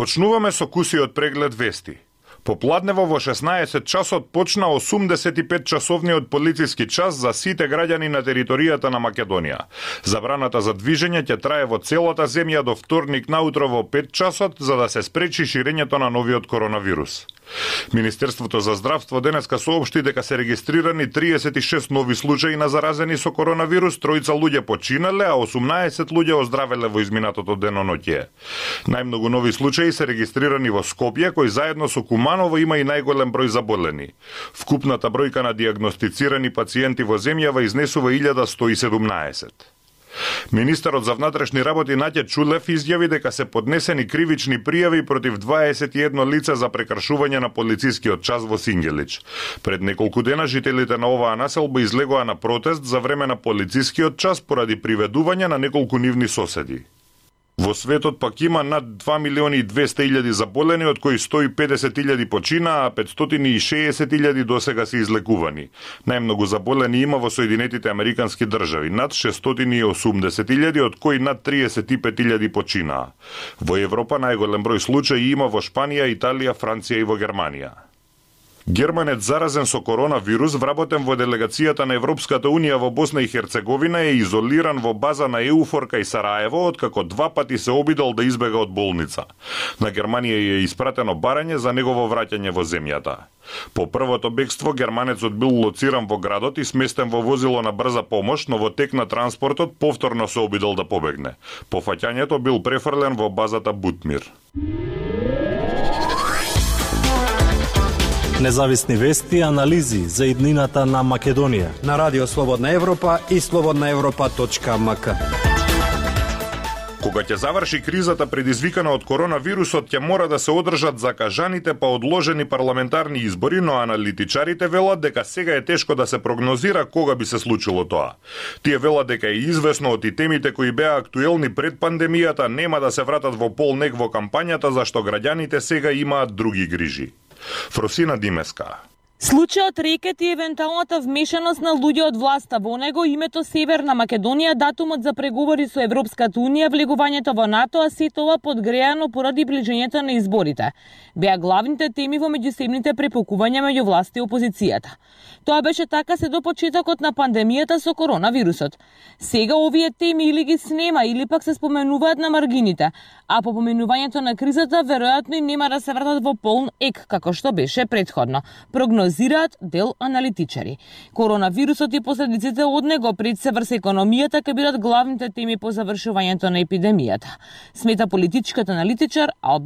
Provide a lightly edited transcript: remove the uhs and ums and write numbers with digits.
Почнуваме со кусиот преглед вести. Попладнево во 16 часот почна 85 часовниот полициски час за сите граѓани на територијата на Македонија. Забраната за движење ќе трае во целата земја до вторник наутро во 5 часот за да се спречи ширењето на новиот коронавирус. Министерството за здравство денеска соопшти дека се регистрирани 36 нови случаи на заразени со коронавирус, 3 луѓе починале, а 18 луѓе оздравеле во изминатото деноноќе. Најмногу нови случаи се регистрирани во Скопје, кој заедно со Куманово има и најголем број заболени. Вкупната бројка на диагностицирани пациенти во земјава изнесува 1117. Министерот за внатрешни работи Наќа Чулев изјави дека се поднесени кривични пријави против 21 лица за прекршување на полицискиот час во Сингелич. Пред неколку дена жителите на оваа населба излегоа на протест за време на полицискиот час поради приведување на неколку нивни соседи. Во светот пак има над 2.200.000 заболени, од кои 150.000 почина, а 560.000 досега се излекувани. Најмногу заболени има во Соединетите Американски држави, над 680.000, од кои над 35.000 починаа. Во Европа најголем број случаи има во Шпанија, Италија, Франција и во Германија. Германец заразен со коронавирус, вработен во делегацијата на Европската Унија во Босна и Херцеговина, е изолиран во база на ЕУФОР кај Сараево, откако 2 пати се обидел да избега од болница. На Германија е испратено барање за негово враќање во земјата. По првото бегство, германецот бил лоциран во градот и сместен во возило на брза помош, но во тек на транспортот повторно се обидел да побегне. По фаќањето бил префрлен во базата Бутмир. Независни вести и анализи за иднината на Македонија на Радио Слободна Европа и slobodnaevropa.mk. Кога ќе заврши кризата предизвикана од коронавирусот, ќе мора да се одржат закажаните па одложени парламентарни избори, но аналитичарите велат дека сега е тешко да се прогнозира кога би се случило тоа. Тие велат дека е известно од и темите кои беа актуелни пред пандемијата нема да се вратат во полнег во кампањата, зашто граѓаните сега имаат други грижи. Фросина Димеска. Случајот рекет и евентуалната вмешаност на луѓе од власта во него, името Северна Македонија, датумот за преговори со Европската Унија, влегувањето во НАТО, а се тоа подгреано поради ближењето на изборите. Беа главните теми во меѓусебните препукувања меѓу власта и опозицијата. Тоа беше така се до почетокот на пандемијата со коронавирусот. Сега овие теми или ги снема, или пак се споменуваат на маргините, а по поменувањето на кризата веројатно и нема да се вратат во полн ек, како што беше претходно. Прогнозираат дел аналитичари. Коронавирусот и последиците од него пред се врз економијата ќе бидат главните теми по завршувањето на епидемијата. Смета политичката аналитичар Алберт